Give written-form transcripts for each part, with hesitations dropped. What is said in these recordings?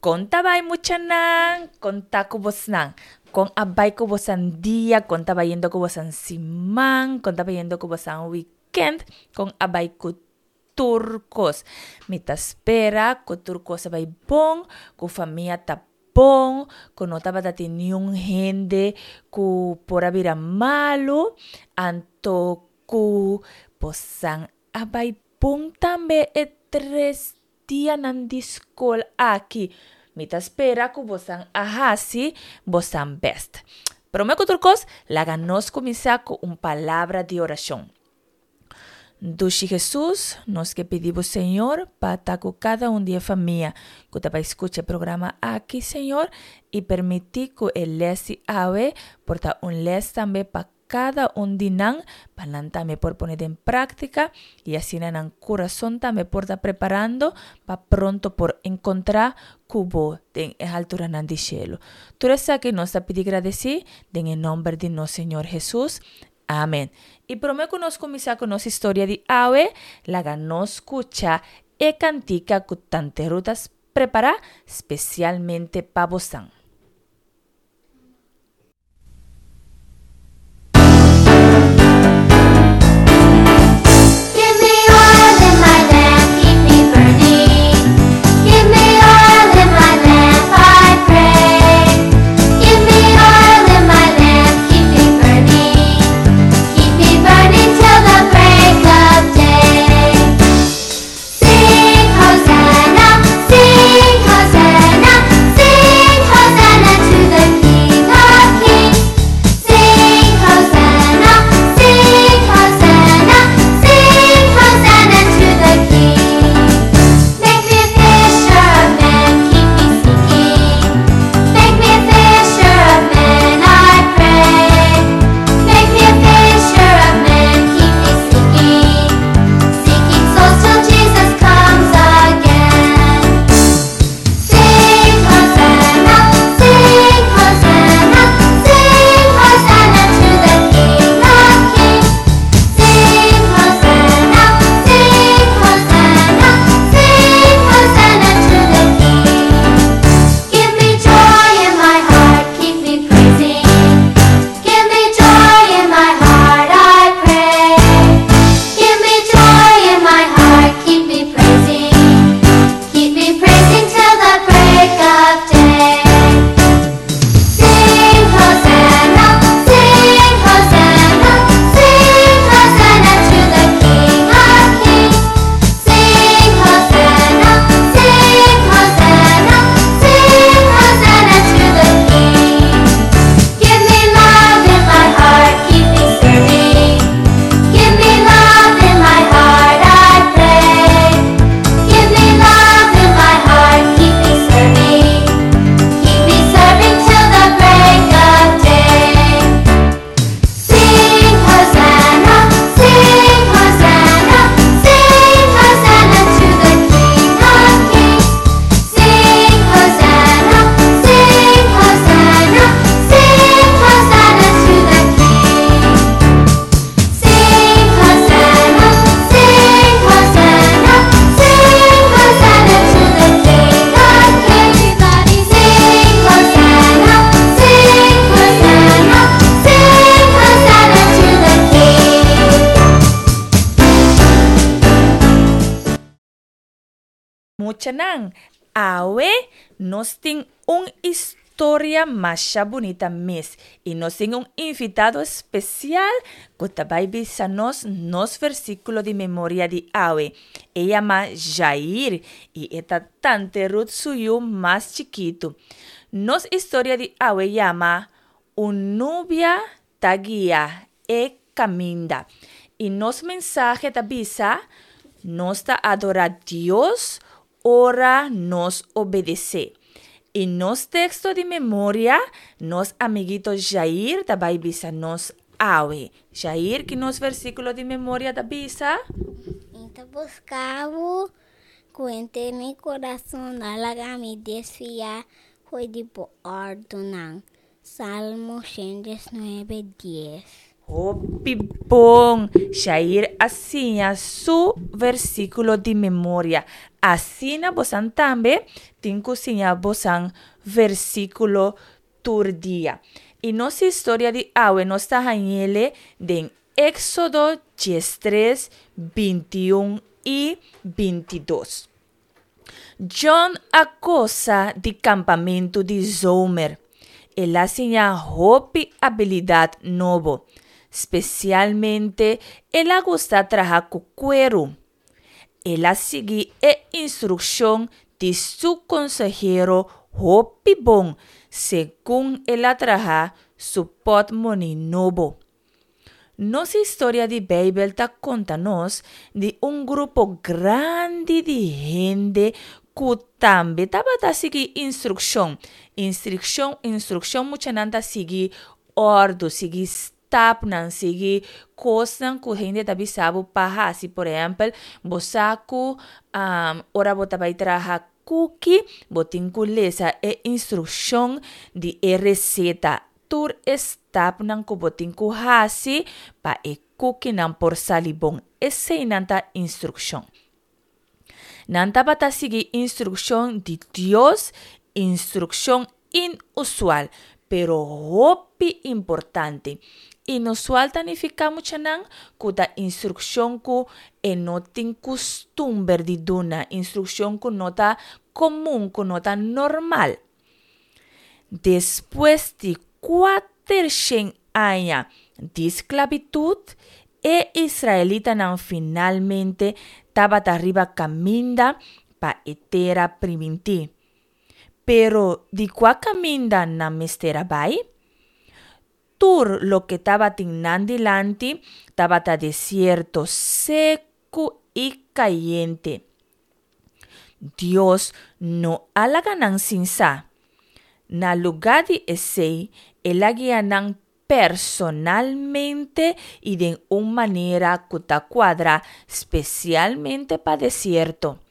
Kon ta bai muchanan? Kon ta ku bosnan? Kon a bai ku bosan dia? Kon ta bayendo ku bosan siman? Kon ta bayendo ku bosan weekend? Kon a bai ku tur kos? Mi ta spera ku tur kos a bai bon, ku famia ta bon, ku no tabata tin niun hende ku por a bira malu, anto ku bosan a bai bon tambe e tres dianan di skol aki. Mi ta spera ku bosan a hasi bosan bèst. Promé ku tur kos, laga nos kuminsá ku un palabra di orashon. Dushi Hesus, nos ke pidi bo Señor pa ta ku kada un di e famia ku ta bai skucha e programa aki, Señor, i permití ku e lès di awe por ta un lès tambe pa kada un di nan pa nan tambe por pone den práktika i asina nan kurason tambe por ta preparando pa pronto por enkontrá ku bo den e halturanan di shelu. Tur esaki nos ta pidi gradesí den e nòmber di nos Señor Hesus. Amen. I promé ku nos kuminsá ku nos historia di awe, laga nos skucha e kantika ku Tante Ruth a prepará spesialmente pa bosan. Give me oil in my lamp, keep me burning. Give me oil in my lamp, I pray. Give me oil in my lamp, keep me burning. Keep me burning till the break of day. Sing Hosanna, sing Hosanna, sing Hosanna to the King of Kings. Sing Hosanna, sing Hosanna, sing Hosanna to the King. Make me a fisher of men, keep me seeking. Make me a fisher of men, I pray. Make me a fisher of men, keep me seeking. Seeking souls till Jesus comes again. Sing Hosanna, sing Hosanna, sing Hosanna to the King of Kings. Sing Hosanna, sing Hosanna, sing Hosanna to the King. Give me joy in my heart, keep me praising. Give me joy in my heart, I pray. Give me joy in my heart, keep me praising. Keep me praising till the break of day. Sing Hosanna, sing Hosanna, sing Hosanna to the King of Kings. Sing Hosanna, sing Hosanna, sing Hosanna to the King. Give me love in my heart, keep me serving. Give me love in my heart, I pray. Give me love in my heart, keep me serving. Keep me serving till the break of day. Sing Hosanna, sing Hosanna, sing Hosanna to the King of Kings. Sing Hosanna, sing Hosanna, sing Hosanna to the King. Sing Hosanna, sing Hosanna, sing Hosanna to the King of Kings. Everybody sing Hosanna, sing Hosanna, sing Hosanna to the King. Muchanan, awe nos tin un historia masha bunita mes i nos tin un invitado spesial ku ta bai bisa nos nos versíkulo di memoria di awe. E yama Jair i e ta Tante Ruth su yu mas chikitu. Nos historia di awe yama Un nubia ta guia e kaminda. I nos mensahe ta bisa, Nos ta adorá Dios ora nos obedesé. I nos teksto di memoria, nos amiguito Jair ta bai bisa nos awe. Jair, ki nos versíkulo di memoria ta bisa? Mi ta buska bo ku henter mi kurason, no laga mi desviá for di bo òrdunan. Salmo 119, 10. Hopi bon! Shair a siña su versíkulo di memoria. Asina bosan tambe tin ku siña bosan versíkulo tur dia. I nos historia di awe nos ta hañ'ele den Éksodo 13, 21 i 22. John a gosa di kampamentu di zomer. El a siña hopi abilidat nobo. Spesialmente el a gusta traha ku kueru. El a sigui e instrukshon di su konsehero hopi bon segun el a traha su pòtmoni nobo. Nos historia di Beibel ta konta nos di un grupo grandi di hende ku tambe tabata sigui instrukshon. Instrikshon, instrukshon muchanan ta sigui òrdu, sigui stapnan, sigui kosnan ku hende ta bisa bo pa hasi. Por ehèmpel, bo sa ku ora bo ta bai traha kuki, bo tin ku lesa e instrukshon di e reseta. Tur e stapnan ku bo tin ku hasi pa e kukinan por sali bon. Eseinan ta instrukshon. Nan tabata sigui instrukshon di Dios, instrukshon inusual, pero hopi importante. Inusual ta nifiká muchanan ku ta instrukshon ku e no tin kustumber di duna, instrukshon ku no ta komun, ku no ta normal. Despues di kuatershen aña di sklabitut, e israelitanan finalmente tabata riba kaminda pa e Tera Primintí. Pero di kua kaminda nan mester a bai? Tur loke tabatin nan dilanti tabata desierto seku i kayente. Dios no a laga nan sin sa. Na lugá di esei, el a guia nan personalmente i den un manera ku ta kuadra spesialmente pa desierto.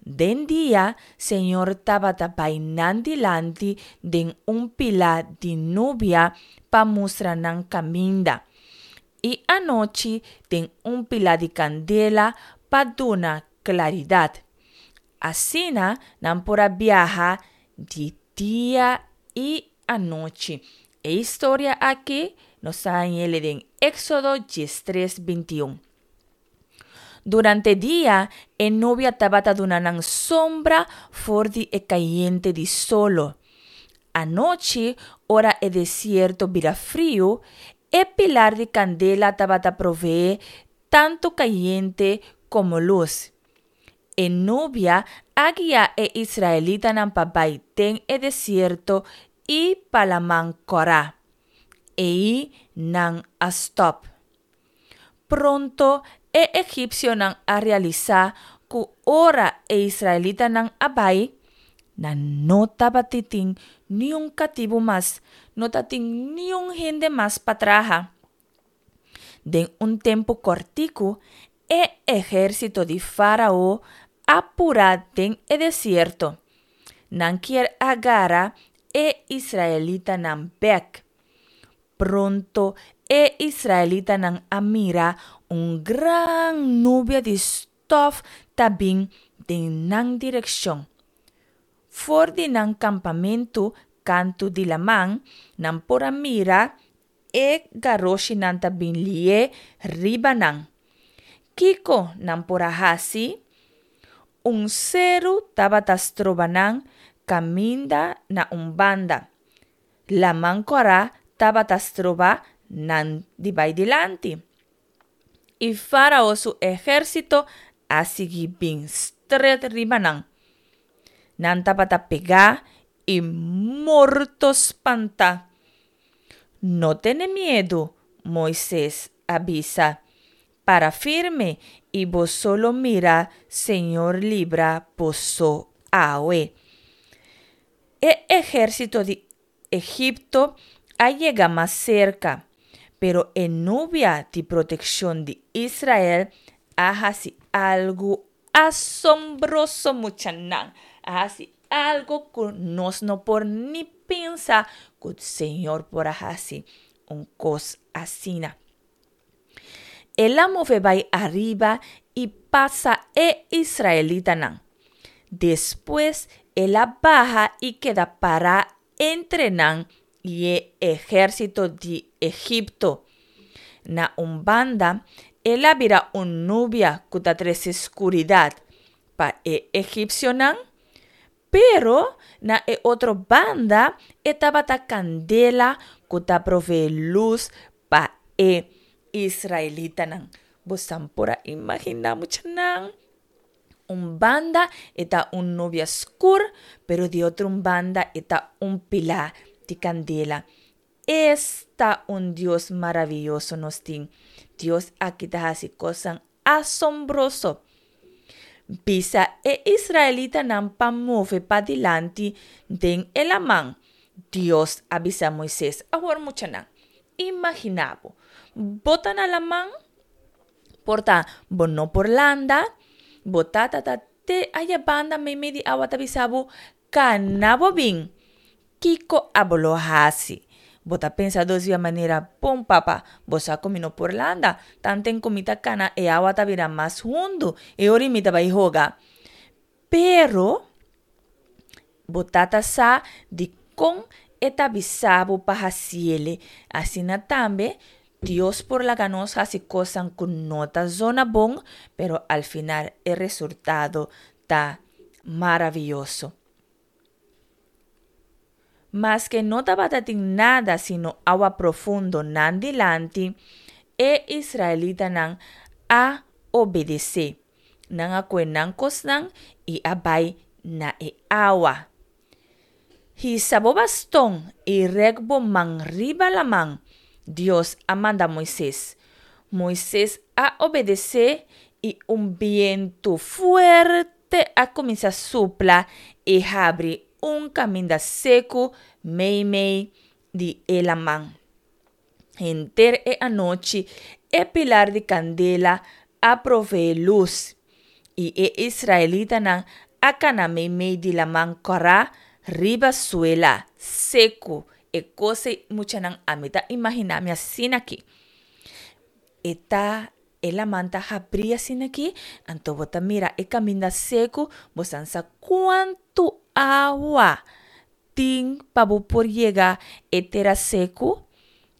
Den dia, Señor tabata bai nan dilanti den un pilá di nubia pa mustra nan kaminda, i anochi den un pilá di kandela pa duna klaridat. Asina nan por a biaha di dia i anochi. E historia aki nos ta hañ'el den Éksodo 13, 21. Durante dia, e nubia tabata duna nan sombra for di e kayente di solo. Anochi, ora e desierto bira friu, e pilar di kandela tabata proveé tantu kayente komo lus. E nubia a guia e israelitanan pa bai den e desierto i pa Laman Kòrá. Ei nan a stòp. Pronto e egipsionan a realisá ku ora e israelitanan a bai, nan no tabatin niun katibu mas, no tatin niun hende mas pa traha. Den un tempu kòrtiku, e ehérsito di Fárao a purá den e desierto. Nan kier a gara e israelitanan bèk. Pronto e israelitanan a mira un gran nubia di stòf ta bin den nan direkshon. For di nan kampamentu kantu di laman, nan por a mira e garoshinan ta bin lié riba nan. Kiko nan por a hasi? Un seru tabata stroba nan kaminda na un banda. Laman Kòrá tabata stroba nan di bai dilanti. I Fárao su ehérsito a sigui bin stret riba nan. Nan tabata pegá i morto spantá. No tene miedu, Moises a bisa. Para firme i boso lo mira Señor libra boso awe. E ehérsito di Egipto a yega mas serka, pero e nubia di protekshon di Israel a hasi algu asombroso, muchanan, a hasi algu ku nos no por ni pensa ku Señor por a hasi. un kos asina. El a move bai ariba i pasa e israelitanan. Despues el a baha i keda pará entre nan i e ehérsito di Egipto. Na un banda, el a bira un nubia ku ta trese skuridat pa e egipsionan, pero na e otro banda e tabata kandela ku ta proveé lus pa e israelitanan. Bosan por a imaginá, muchanan? Un banda e ta un nubia skur, pero di otro un banda e ta un pilá di kandela. Esta un Dios maravioso nos tin! Dios aki ta hasi kosnan asombroso. Bisa e israelitanan pa move padilanti den e laman, Dios a bisa Moises. Awor muchanan, imaginá bo, bo ta na laman, por ta bo no por landa, bo tata ta te aya banda meimei di awa ta bisa bo, Kana bo bin! Kiko abo lo hasi? Bo ta pensa dos bia manera, Bon papa, bo sa ku mi no por landa. Tanten ku mi ta kana e awa ta bira mas hundu, e ora mi ta bai hoga. Pero, bo tata sa dikon e ta bisa bo pa hasiele. Asina tambe, Dios por laga nos hasi kosnan ku no ta zona bon, pero al final e resultado ta maravioso. Maske no tabata tin nada sino awa profundo nan dilanti, e israelitanan a obedesé. Nan a kue nan kosnan i a bai na e awa. Hisa bo baston i rèk bo man riba laman, Dios a manda Moises. Moises a obedesé i un bientu fuerte Te a kuminsá supla i habri un kaminda seku meimei di e laman. Henter e anochi e pilar di kandela a proveé lus, i e israelitanan a kana meimei di laman kòrá riba suela seku. E kos ei muchanan ami ta imaginá mi asina aki. E ta E laman ta habrí asina aki, anto bo ta mira e kaminda seku, bo san sa kuantu awa tin pa bo por yega e tera seku?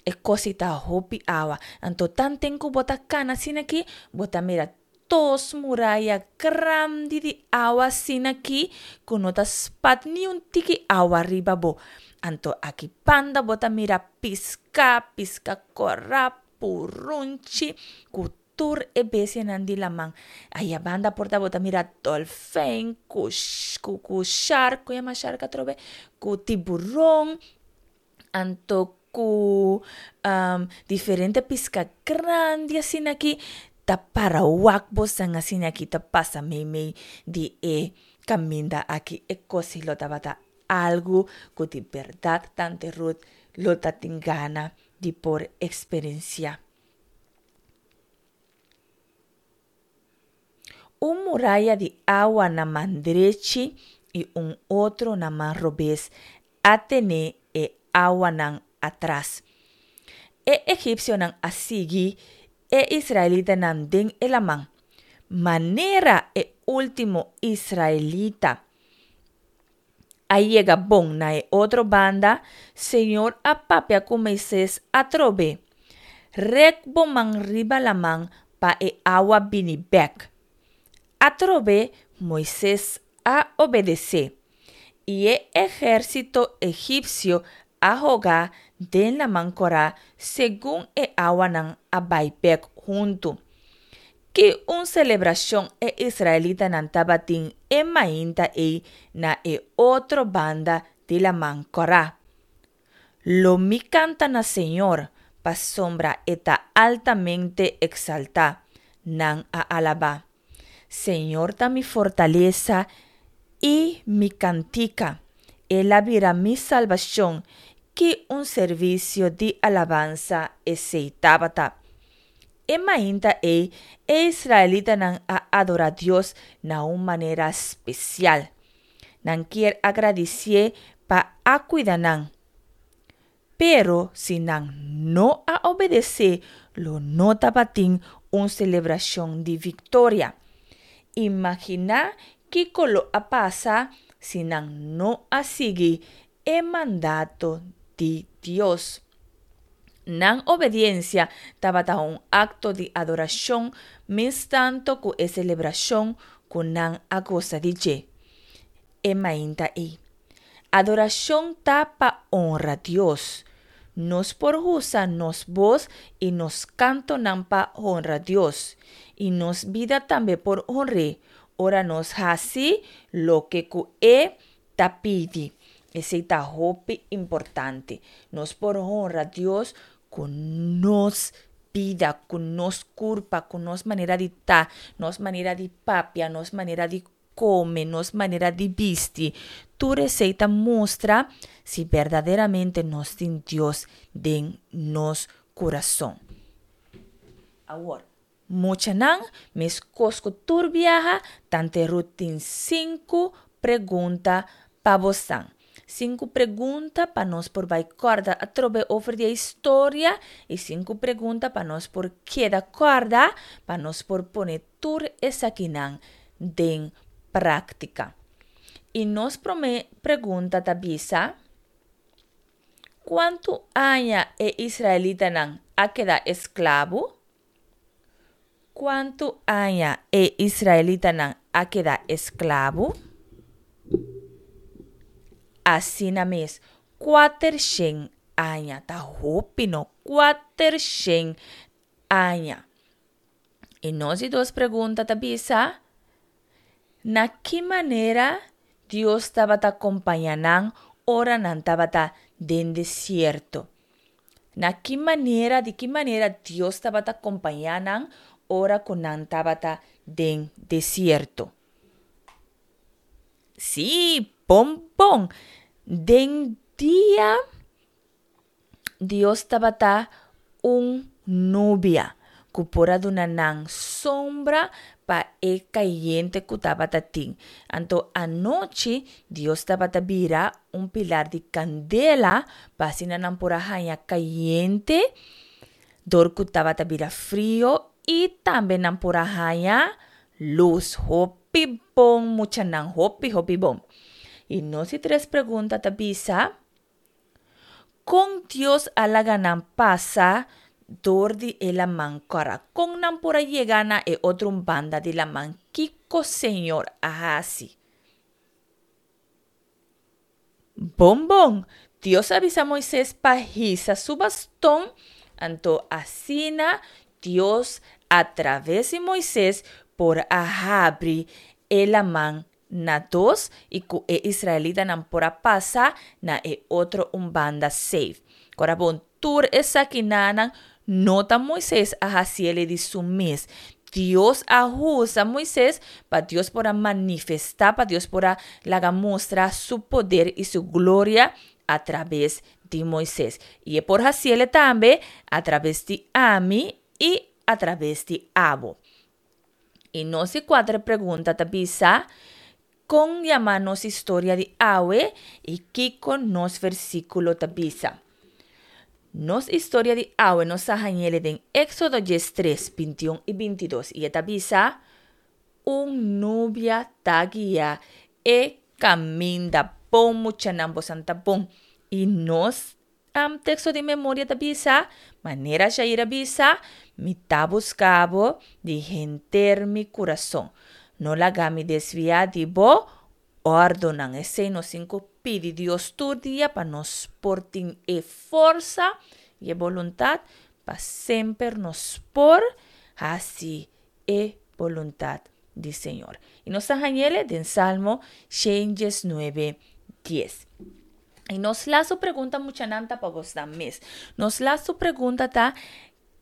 E kos ei ta hopi awa. Anto tanten ku bo ta kana asina aki, bo ta mira dos muraya grandi di awa asina aki ku no ta spat niun tiki awa riba bo. Anto aki banda bo ta mira piska, piska kòrá, purunchi ku tur e bestianan di laman. Aya banda por ta bo ta mira dolfijn ku ku ku shark, ku yama shark atrobe? Ku tiburon, anto ku diferente piska grandi asina aki ta para wak bosan asina aki ta pasa meimei di e kaminda aki. E kos si lo tabata algu ku di bèrdat tante Ruth lo ta tin gana di por eksperensiá. Un muraya di awa na man drechi i un otro na man robes a tene e awanan atras. E egipsionan a sigui e israelitanan den e laman. Manera e último israelita a yega bon na e otro banda, Señor a papia ku Moises atrobe, Rek bo man riba laman pa e awa bini bèk. Atrobe Moises a obedesé, i e ehérsito egipsio a hoga den Laman Kòrá segun e awanan a bai bèk huntu. Ki un selebrashon e israelitanan tabatin e mainta ei na e otro banda di Laman Kòrá! Lo mi kanta na Señor, pasobra e ta altamente eksaltá, nan a alabá. Señor ta mi fortalesa i mi kantika, el a bira mi salbashon, ki un servisio di alabansa esei tabata! E mainta ei, e israelitanan a adorá Dios na un manera spesial. Nan kier a gradisié pa a kuida nan. Pero si nan no a obedesé, lo no tabatin un selebrashon di viktoria. Imaginá kiko lo a pasa si nan no a sigui e mandato di Dios. Nan obediensia tabata un akto di adorashon mes tantu ku e selebrashon ku nan a gosa di dje e mainta ei. Adorashon ta pa honra Dios. Nos por usa nos bos i nos kantonan pa honra Dios. I nos bida tambe por honr'é ora nos hasi loke ku e ta pidi. Esei ta hopi importante. Nos por honra Dios ku nos bida, ku nos kurpa, ku nos manera di ta, nos manera di papia, nos manera di kome, nos manera di bisti. Tur esei ta mustra si berdaderamente nos tin Dios den nos kurason. Awor, muchanan, meskos ku tur biaha, Tante Ruth tin sinku pregunta pa bosan. Sinku pregunta pa nos por bai kòrda atrobe over di e historia i sinku pregunta pa nos por keda kòrda pa nos por pone tur esakinan den práktika. I nos promé pregunta ta bisa, Kuantu aña e israelitanan a keda esklabu? Kuantu aña e israelitanan a keda esklabu? Asina mes, kuatershen aña. Ta hopi no, kuatershen aña. I nos di dos pregunta ta bisa, Na ki manera Dios tabata kompañá nan ora nan tabata den desierto? Na ki manera, di ki manera Dios tabata kompañá nan ora ku nan tabata den desierto? Sí, bon bon! Den dia Dios tabata un nubia ku por a duna nan sombra pa e kayente ku tabata tin. Anto anochi Dios tabata bira un pilar di kandela pa asina nan por a haña kayente dor ku tabata bira frio i tambe nan por a haña lus. Hopi bon muchanan, hopi hopi bon. I nos di tres pregunta ta bisa. Kon Dios a laga nan pasa dor di e laman kòrá? Kon nan por a yega na e otro un banda di laman? Kiko Señor a hasi? Bon bon, Dios a bisa Moises pa hisa su baston, anto asina Dios a traves di Moises por a habri e laman na dos i ku e israelitanan por a pasa na e otro un banda safe. Ora bon, tur esakinanan no ta Moises a hasiel di su mes. Dios a usa Moises pa Dios por a manifestá, pa Dios por a laga mustra su poder i su gloria a traves di Moises. I e por hasiel tambe a traves di ami i a traves di abo. I nos di kuater pregunta ta bisa, Kon yama nos historia di awe i kiko nos versíkulo ta bisa? Nos historia di awe nos a hañ'el den Éksodo diestres, bintiun i bintidos i e ta bisa, Un nubia ta guia e kaminda. Bon muchanan, bosan ta bon. I nos Teksto di memoria ta bisa, Manera Jair a bisa, Mi ta buska bo di henter mi kurason. No laga mi desviá di bo òrdunan. Esei nos tin ku pidi Dios tur dia pa nos por tin e forsa i e boluntat pa semper nos por hasi e boluntat di Señor. I nos ta hañ'el den Salmo 119, dies. I nos lastu pregunta muchanan ta pa bosnan mes. Nos lastu pregunta ta,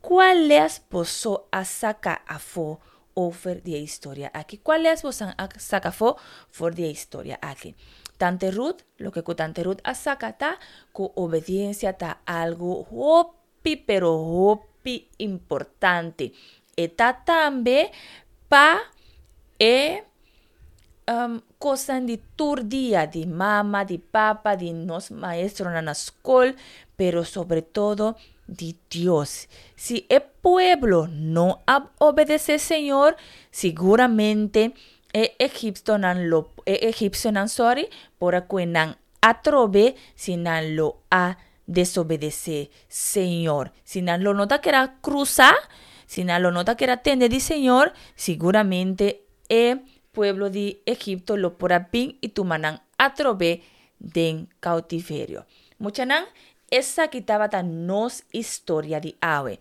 Kua les boso a saka afó over di e historia aki? Kua les bosan a saka afó for di e historia aki? Tante Ruth, loke ku Tante Ruth a saka ta ku obediensia ta algu hopi pero hopi importante. E ta tambe pa e kosnan di tur dia, di mama, di papa, di nos maestronan na skol. pero sobre todo di Dios. Si e pueblo no a obedesé Señor, siguramente e egiptonan lo e egipsionan sorry por a kue nan atrobe si nan lo a desobedesé Señor. Si nan lo no ta keda krusa, si nan lo no ta keda tende di Señor, siguramente e pueblo di Egipto lo por a bin i tuma nan atrobe den cautiverio. Muchanan, esaki tabata nos historia di awe.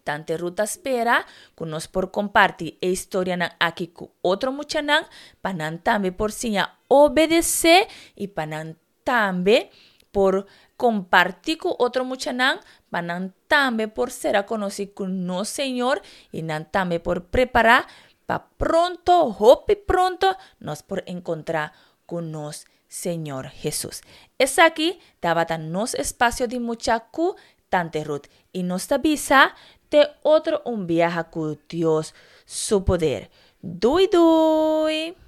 Tante Ruth ta spera cu nos por comparti e historianan aki cu otro muchanan pa nan tambe por siña obedece y pa nan tambe por comparti cu otro muchanan pa nan tambe por sera conoci cu nos Señor y nan tambe por prepara pa pronto, hopi pronto, nos por encontra cu nos Señor Jesus. Esaki tabata nos espacio di mucha cu Tante Ruth y nos ta bisa te otro un biaha cu Dios su poder. Doei doei!